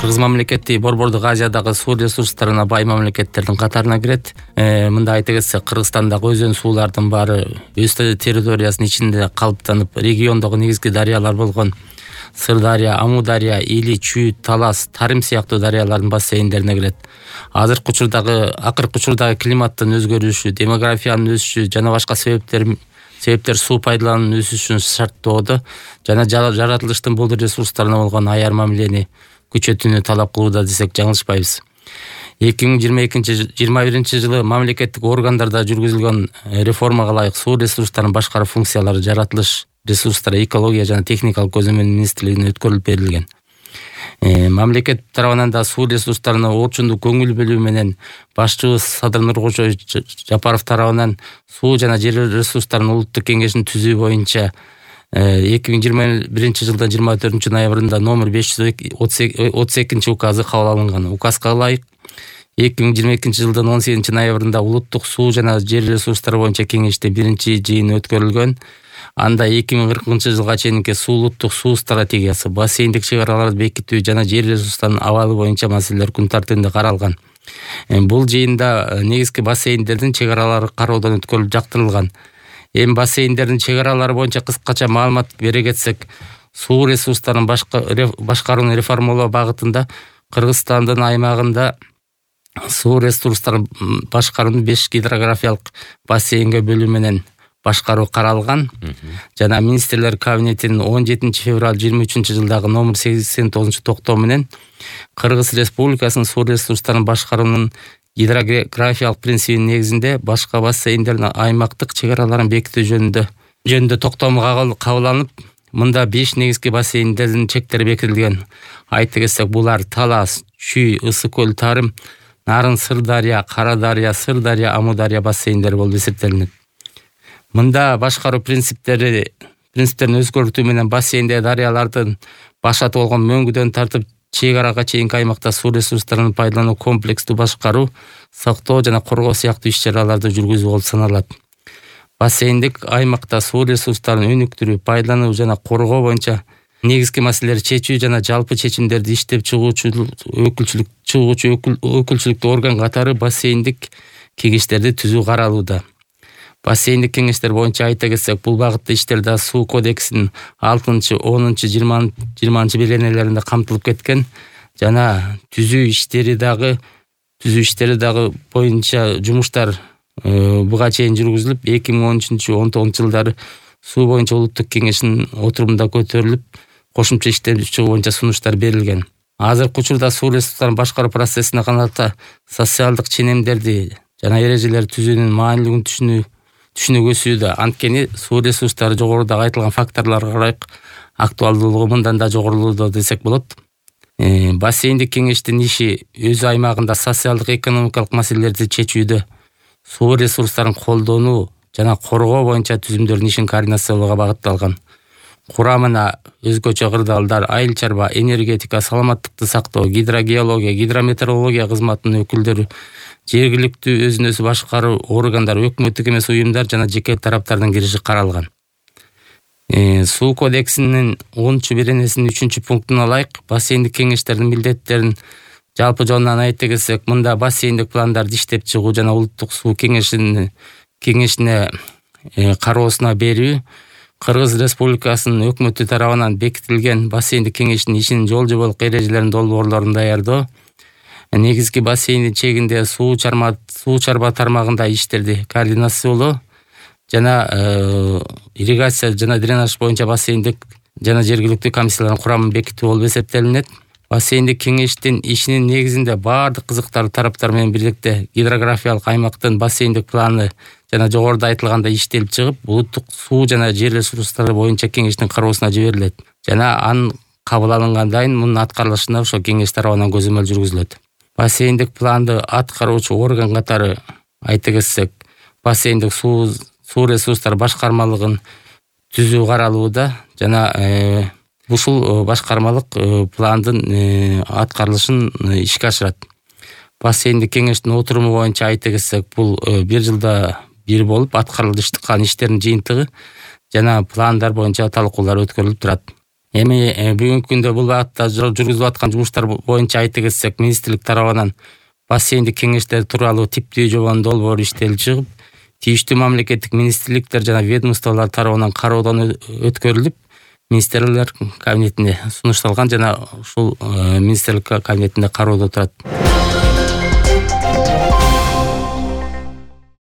Кыргыз мамлекети Борбордук Азиядагы суу ресурстарына бай мамлекеттердин катарына кирет. Мында айта кетсек, Кыргызстандагы өзөн суулардын баары өз территориясынын ичинде калыптанып, региондогу негизги дарыялар болгон Сырдария, Амудария, Или, Чүй, Талас, Тарым сыяктуу дарыялардын бассейндерине кирет. Акыркы учурдагы климаттын өзгөрүшү, демографиянын өсүшү жана башка себептер суу пайдалануунун өсүшүн шарттоодо жана жаратылыштын бул ресурстарына болгон аяр мамилени күчөтүүнү талап кылууда десек жаңылышпайбыз. 2021 жылы мамлекеттик органдарда жүргүзүлгөн реформага ылайык суу ресурстарын башкаруу функциялары жаратылыш ресурстары, экология жана техникалык көзөмөл министрлигине өткөрүлүп берилген. Мамлекет тарабынан да суу ресурстарына орчундуу көңүл бөлүү менен башчыбыз Садыр Нуркожоевич Жапаров тарабынан суу жана жер ресурстарынын улуттук кеңешин түзүү боюнча 2021 жылдын 24 ноябрында номер 532 указы кабыл алынган. Указга ылайык 2022 жылдын 18 ноябрында улуттук суу жана жер ресурстары боюнча кеңеште биринчи жыйын өткөрүлгөн. Анда 2040 жылга чейинки улуттук суу стратегиясы, бассейндик чыгараларды бекитүү жана жер ресурстарынын абалы боюнча маселелер күн тартибинде каралган. Бул жыйында негизги бассейндердин чыгаралары кароодон өткөрүлүп жактырылган. Бассейндердин чыгаралары боюнча кыскача маалымат бере кетсек, суу ресурстарын башкарууну реформалоо багытында Кыргызстандын аймагында суу ресурстарын башкаруунун 5 гидрографиялык бассейнге бөлүү менен башкаруу каралган. Жана министрлер кабинетинин 17 февраль 23 жылдагы номер 89 токтоо менен Кыргыз Республикасынын суу ресурстарын башкаруунун гидрографиялык принцибинин негизинде башка бассейндердин аймактык чыгараларын бекитүү жөнүндө токтом кабыл алынып, мында 5 негизги бассейндердин чектери бекитилген. Айта кетсек, булар Талас, Чүй, Ысык көл, Тарым, Нарын, Сырдария, Карадария, Сырдария, Амудария бассейндери болуп эсептелинет. Мында башкаруу принциптерин өзгөртүү менен бассейндеги дарыялардын башаты болгон мөңгүдөн тартып чек арага чейинки аймакта суу ресурстарын пайдалануу, комплекстүү башкаруу, сактоо жана коргоо сыяктуу иш-чараларды жүргүзүү болуп саналат. Бассейндик аймакта суу ресурстарын өнүктүрүү, пайдалануу жана коргоо боюнча негизги маселелерди чечүү жана жалпы чечимдерди иштеп чыгуучу өкүлчүлүктүү орган катары бассейндик кеңештерди түзүү каралууда. Бассейндик кеңештер боюнча айта кетсек, бул багытта иштер да суу кодексинин 6, 10, 20 беренелеринде камтылып кеткен жана түзүү иштери дагы боюнча жумуштар буга чейин жүргүзүлүп, 2013-19 жылдары суу боюнча улуттук кеңештин отурумунда көтөрүлүп, кошумча иштеп чыгуу боюнча сунуштар берилген. Азыркы учурда суу ресурстарын башкаруу процессине каната социалдык ченемдерди жана эрежелерди түзүүнүн маанилүүлүгүн түшүнүгүсүдө. Анткени суу ресурстары жогорудагы айтылган факторлорго ылайык актуалдуулугу мындан да жогорулууда десек болот. Бассейндик кеңештин иши өз аймагында социалдык экономикалык маселелерди чечүүдө, суу ресурстарын колдонуу жана коргоо боюнча түзүмдөрдүн ишин координациялоого багытталган. Курамына өзгөчө кырдаалдар, айыл чарба, энергетика, саламаттыкты сактоо, гидрогеология, гидрометеорология кызматынын өкүлдөрү, жергиликтүү өзүн өзү башкаруу органдар, өкмөттүк эмес уюмдар жана жеке тараптардын кириши каралган. Суу кодексинин 10 беренесинин 3-пунктуна ылайык бассейндик кеңештердин милдеттерин жалпы жолунан айта кетсек, мында бассейндик пландарды иштеп чыгуу жана улуттук суу кеңешине кароосуна берүү, Кыргыз Республикасынын өкмөтү тарабынан бекитилген бассейндик кеңештин ишинин жол жоболук эрежелерин долбоорлорун даярдоо, негизги бассейндин чегинде суу чарба тармагында иштерди координациялоо жана ирригация жана дренаж боюнча бассейндик жана жергиликтүү комиссиялардын курамын бекитүү болуп эсептелинет. Бассейндик кеңештин ишинин негизинде баардык кызыктуу тараптар менен бирдикте гидрографиялык аймактын бассейндик планы жана жогоруда айтылгандай иштелип чыгып, улуттук суу жана жер ресурстары боюнча кеңештин кароосуна жиберилет жана анын кабыл алынгандан кийин мунун аткарылышына ошо кеңеш тарабынан көзөмөл жүргүзүлөт. Бассейндик планды аткаруучу орган катары айта кетсек, бассейндик суу ресурстары башкармалыгын түзүү каралууда жана ушул башкармалык пландын аткарылышын ишке ашырат. Бассейндик кеңештин отуруму боюнча айта кетсек, бул 1 жылда бир болуп аткарылышкан иштердин жыйынтыгы жана пландар боюнча талкуулар өткөрүлүп турат. Эми бүгүнкү күндө бул багытта жүргүзүлүп аткан жумуштар боюнча айта кетсек, министрлик тарабынан бассейндик кеңештер тууралуу типтүү жобонун долбоору иштелип чыгып, тийиштүү мамлекеттик министрликтер жана ведомстволор тарабынан кароодон өткөрүлүп, министрлер кабинетине сунушталган жана ушул министрлик кабинетинде кароодо турат.